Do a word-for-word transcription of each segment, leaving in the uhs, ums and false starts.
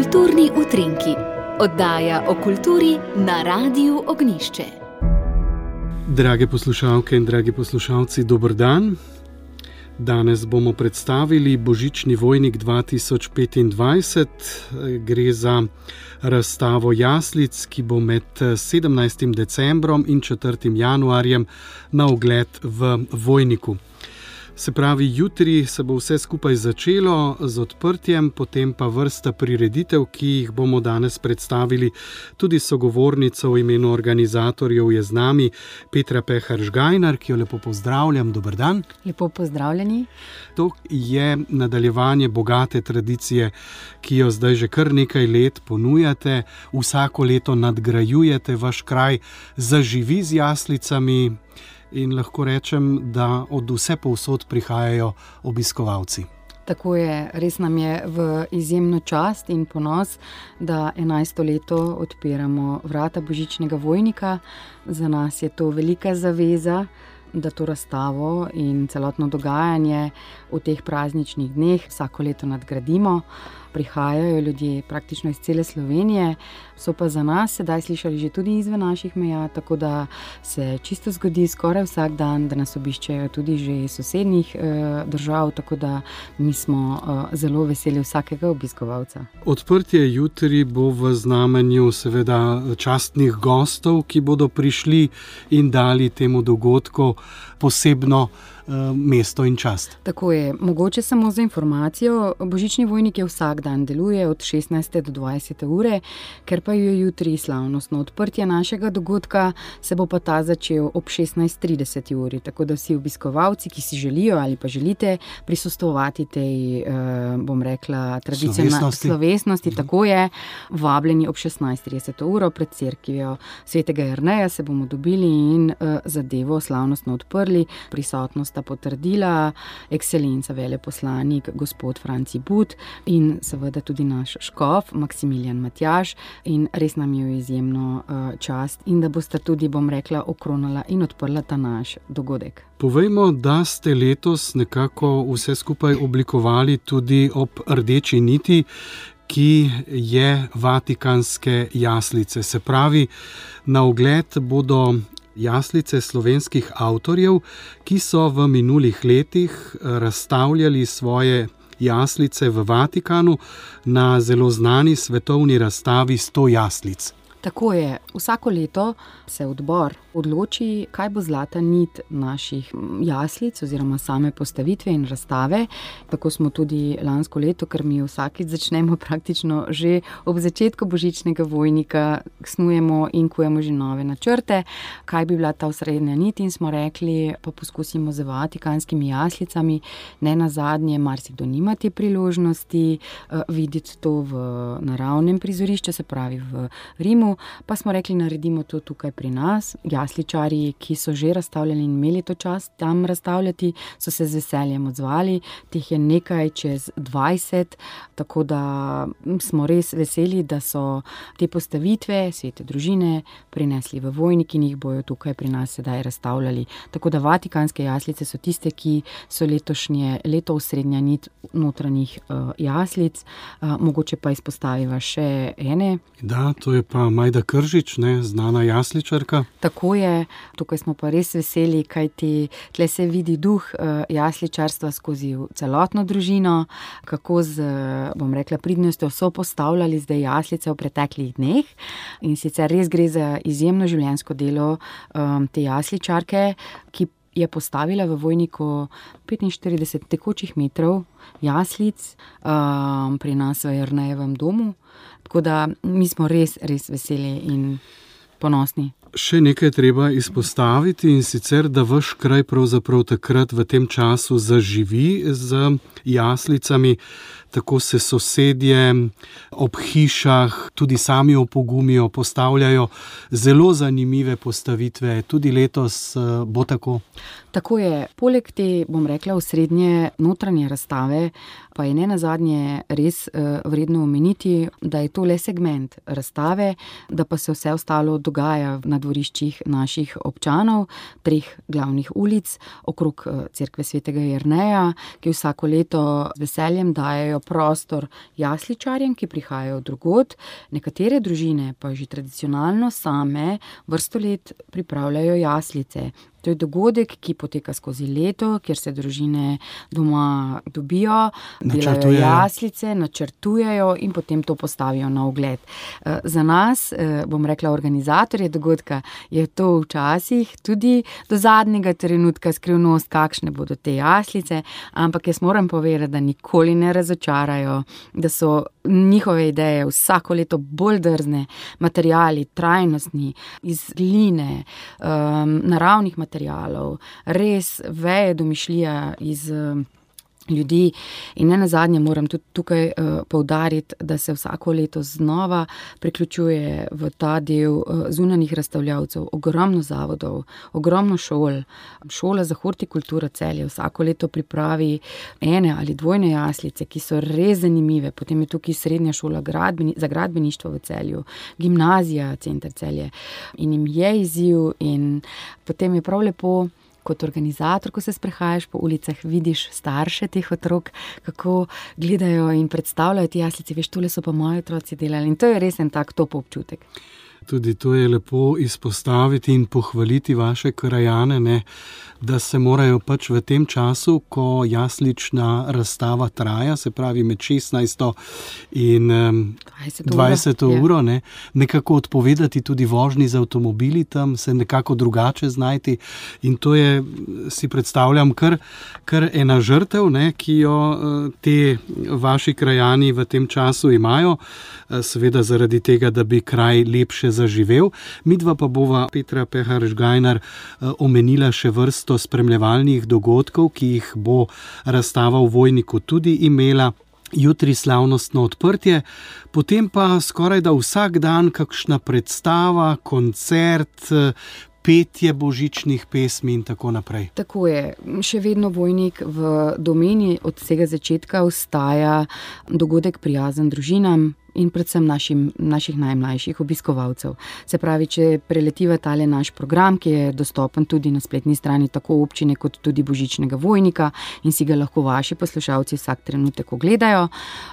Kulturni utrinki, oddaja o kulturi na Radiu Ognjišče. Drage poslušalke in dragi poslušalci, dober dan. Danes bomo predstavili Božični vojnik dva tisoč petindvajset. Gre za razstavo jaslic, ki bo med sedemnajstim decembrom in četrtim januarjem na ogled v Vojniku. Se pravi, jutri se bo vse skupaj začelo z odprtjem, potem pa vrsta prireditev, ki jih bomo danes predstavili. Tudi sogovornica v imenu organizatorjev je z nami Petra Pehar Žgajnar, ki jo lepo pozdravljam. Dober dan. Lepo pozdravljeni. To je nadaljevanje bogate tradicije, ki jo zdaj že kar nekaj let ponujate. Vsako leto nadgrajujete, vaš kraj zaživi z jaslicami. In lahko rečem, da od vse povsod prihajajo obiskovalci. Tako je, res nam je v izjemno čast in ponos, da enajsto leto odpiramo vrata Božičnega vojnika. Za nas je to velika zaveza, da to razstavo in celotno dogajanje v teh prazničnih dneh vsako leto nadgradimo. Prihajajo ljudje praktično iz cele Slovenije, so pa za nas sedaj slišali že tudi izven naših meja, tako da se čisto zgodi skoraj vsak dan, da nas obiščejo tudi že iz sosednjih eh, držav, tako da mi smo eh, zelo veseli vsakega obiskovalca. Odprtje jutri bo v znamenju seveda častnih gostov, ki bodo prišli in dali temu dogodku posebno mesto in čast. Tako je. Mogoče samo za informacijo, Božični vojnik je vsak dan deluje od šestnajste do dvajsete ure, ker pa je jutri slavnostno odprtje našega dogodka, se bo pa ta začel ob šestnajst trideset uri, tako da vsi obiskovalci, ki si želijo ali pa želite prisostvovati tej, bom rekla, tradicionalni slovesnosti, mm. tako je, vabljeni ob šestnajst trideset uro pred cerkvijo svetega Jerneja se bomo dobili in zadevo slavnostno odprli. Prisotnost sta potrdila ekscelenca veleposlanik gospod Franci But in seveda tudi naš škof Maksimilijan Matjaž, in res nam je izjemno uh, čast in da boste tudi, bom rekla, okronala in odprla ta naš dogodek. Povejmo, da ste letos nekako vse skupaj oblikovali tudi ob rdeči niti, ki je vatikanske jaslice. Se pravi, na ogled bodo jaslice slovenskih avtorjev, ki so v minulih letih razstavljali svoje jaslice v Vatikanu na zelo znani svetovni razstavi sto jaslic. Tako je. Vsako leto se odbor odloči, kaj bo zlata nit naših jaslic oziroma same postavitve in razstave. Tako smo tudi lansko leto, ker mi vsakič začnemo praktično že ob začetku Božičnega vojnika, snujemo in kujemo že nove načrte, kaj bi bila ta osrednja nit, in smo rekli, pa poskusimo z vatikanskimi jaslicami. Ne nazadnje, marsikdo nima te priložnosti uh, videti to v naravnem prizorišču, se pravi v Rimu, pa smo rekli, naredimo to tukaj pri nas. Jasličarji, ki so že razstavljali in imeli to čast tam razstavljati, so se z veseljem odzvali. Teh je nekaj čez dvajset, tako da smo res veseli, da so te postavitve svete družine prinesli v Vojnik in jih bojo tukaj pri nas sedaj razstavljali. Tako da vatikanske jaslice so tiste, ki so letošnje leto osrednja nit notranjih uh, jaslic. Uh, mogoče pa izpostaviva še ene. Da, to je pa Majda Kržič, ne, znana jasličarka. Tako je, tukaj smo pa res veseli, kajti tle se vidi duh uh, jasličarstva skozi celotno družino, kako z, bom rekla, pridnostjo so postavljali zdaj jaslice v preteklih dneh, in sicer res gre za izjemno življenjsko delo um, te jasličarke, ki je postavila v Vojniku petinštirideset tekočih metrov jaslic um, pri nas v Jernejevem domu. Tako da mi smo res, res veseli in ponosni. Še nekaj treba izpostaviti, in sicer, da vaš kraj pravzaprav takrat v tem času zaživi z jaslicami. Tako se sosedje ob hišah tudi sami opogumijo, postavljajo zelo zanimive postavitve. Tudi letos bo tako. Tako je. Poleg te, bom rekla, osrednje notranje razstave, pa je nenazadnje res vredno omeniti, da je to le segment razstave, da pa se vse ostalo dogaja na dvoriščih naših občanov, treh glavnih ulic, okrog cerkve svetega Jerneja, ki vsako leto z veseljem dajejo prostor jasličarjem, ki prihajajo drugod, nekatere družine pa že tradicionalno same vrsto let pripravljajo jaslice. To je dogodek, ki poteka skozi leto, kjer se družine doma dobijo, delajo jaslice, načrtujejo in potem to postavijo na ogled. Za nas, bom rekla, organizatorje dogodka, je to včasih tudi do zadnjega trenutka skrivnost, kakšne bodo te jaslice, ampak jaz moram povedati, da nikoli ne razočarajo, da so njihove ideje vsako leto bolj drzne, materiali, trajnostni, iz gline, um, naravnih materialov, res veje domišljija iz ljudi in ne nazadnje moram tudi tukaj uh, poudariti, da se vsako leto znova priključuje v ta del uh, zunanjih razstavljavcev, ogromno zavodov, ogromno šol. Šola za hortikulturo Celje vsako leto pripravi ene ali dvojne jaslice, ki so res zanimive. Potem je tukaj srednja šola gradbeni, za gradbeništvo v Celju, gimnazija, center Celje in jim je izziv in potem je prav lepo, kot organizator, ko se sprehajaš po ulicah, vidiš starše teh otrok, kako gledajo in predstavljajo te jaslice, veš, tole so pa moji otroci delali in to je res en tak top občutek. Tudi to je lepo izpostaviti in pohvaliti vaše krajane, ne, da se morajo pač v tem času, ko jaslična razstava traja, se pravi med šestnajsto in dvajseto uro, ne, nekako odpovedati tudi vožnji z avtomobili tam, se nekako drugače znajti in to je, si predstavljam, kar, kar ena žrtev, ne, ki jo te vaši krajani v tem času imajo, seveda zaradi tega, da bi kraj lepše zaživel. Midva pa bova, Petra Peharš-Gajnar, omenila še vrsto spremljevalnih dogodkov, ki jih bo razstava v Vojniku tudi imela. Jutri slavnostno odprtje, potem pa skoraj da vsak dan kakšna predstava, koncert, petje božičnih pesmi in tako naprej. Tako je. Še vedno Vojnik v domeni od vsega začetka ostaja dogodek prijazen družinam in predvsem našim, naših najmlajših obiskovalcev. Se pravi, če preletiva tale naš program, ki je dostopen tudi na spletni strani tako občine kot tudi Božičnega Vojnika in si ga lahko vaši poslušalci vsak trenutek ogledajo,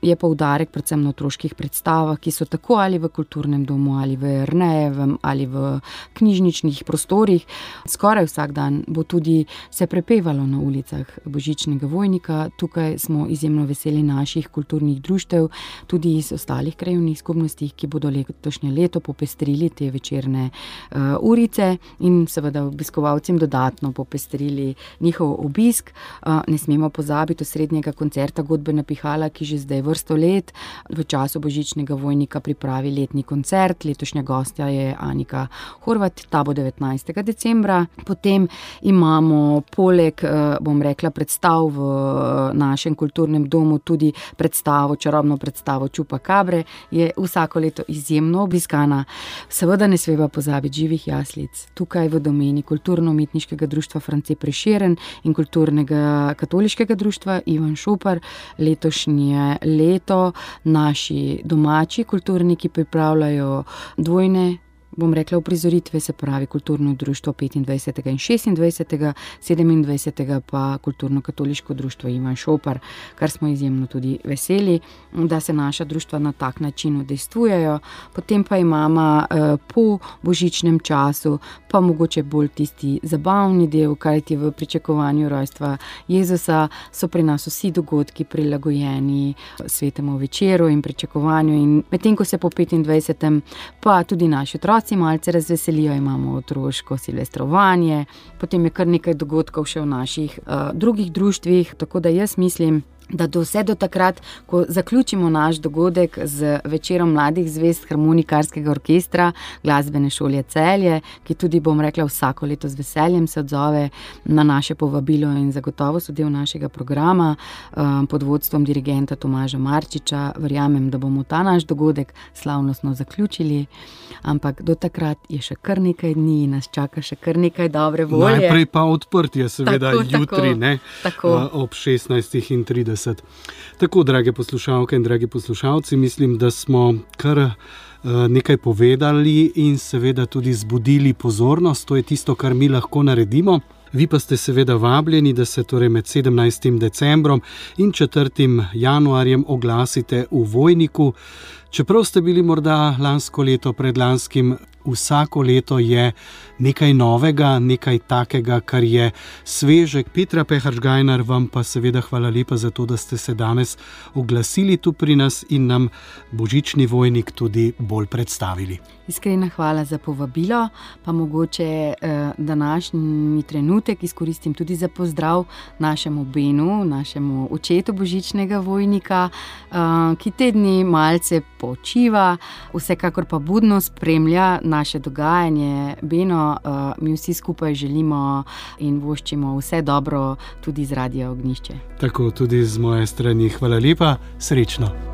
je poudarek predvsem na otroških predstavah, ki so tako ali v kulturnem domu, ali v Ernejevem, ali v knjižničnih prostorih. Skoraj vsak dan bo tudi se prepevalo na ulicah Božičnega Vojnika. Tukaj smo izjemno veseli naših kulturnih društev, tudi iz ostalih krajevnih skupnostih, ki bodo letošnje leto popestrili te večerne uh, urice in seveda obiskovalcem dodatno popestrili njihov obisk. Uh, ne smemo pozabiti osrednjega koncerta Godbena Pihala, ki že zdaj vrsto let v času Božičnega Vojnika pripravi letni koncert. Letošnja gostja je Anika Horvat, ta bo devetnajstega decembra. Potem imamo poleg, uh, bom rekla, predstav v uh, našem kulturnem domu tudi predstavo, čarobno predstavo Čupa Kabre, je vsako leto izjemno obiskana. Seveda ne smeva pozabiti živih jaslic. Tukaj v domeni Kulturno-umetniškega društva France Prešeren in Kulturnega katoliškega društva Ivan Šopar letošnje leto naši domači kulturniki pripravljajo dvojne, bom rekla, uprizoritve, se pravi kulturno društvo petindvajsetega in šestindvajsetega, sedemindvajsetega pa Kulturno-katoliško društvo Ivan Šopar, kar smo izjemno tudi veseli, da se naša društva na tak način udejstvujejo. Potem pa imamo eh, po božičnem času pa mogoče bolj tisti zabavni del, kajti v pričakovanju rojstva Jezusa so pri nas vsi dogodki prilagojeni svetemu večeru in pričakovanju in medtem ko se po petindvajsetem pa tudi naši otroci malce razveselijo, imamo otroško silvestrovanje, potem je kar nekaj dogodkov še v naših uh, drugih društvih, tako da jaz mislim, da do vse do takrat, ko zaključimo naš dogodek z večerom mladih zvezd harmonikarskega orkestra Glasbene šole Celje, ki tudi, bom rekla, vsako leto z veseljem se odzove na naše povabilo in zagotovo so del našega programa um, pod vodstvom dirigenta Tomaža Marčiča. Verjamem, da bomo ta naš dogodek slavnostno zaključili, ampak do takrat je še kar nekaj dni in nas čaka še kar nekaj dobre volje. Najprej pa odprtje, seveda tako, jutri, tako, ne, tako. ob šestnajstih in trideset. Tako, drage poslušalke in dragi poslušalci, mislim, da smo kar nekaj povedali in seveda tudi zbudili pozornost. To je tisto, kar mi lahko naredimo. Vi pa ste seveda vabljeni, da se torej med sedemnajstim decembrom in četrtim januarjem oglasite v Vojniku. Čeprav ste bili morda lansko leto, predlanskim, vsako leto je nekaj novega, nekaj takega, kar je sveže. Petra Peharš-Gajnar, vam pa seveda hvala lepa za to, da ste se danes oglasili tu pri nas in nam Božični Vojnik tudi bolj predstavili. Iskrena hvala za povabilo, pa mogoče eh, današnji trenutek izkoristim tudi za pozdrav našemu Benu, našemu očetu Božičnega Vojnika, eh, ki te dni malce počiva, vsekakor pa budno spremlja naše dogajanje. Beno, uh, mi vsi skupaj želimo in voščimo vse dobro tudi z Radia Ognjišče. Tako tudi z moje strani. Hvala lepa, srečno.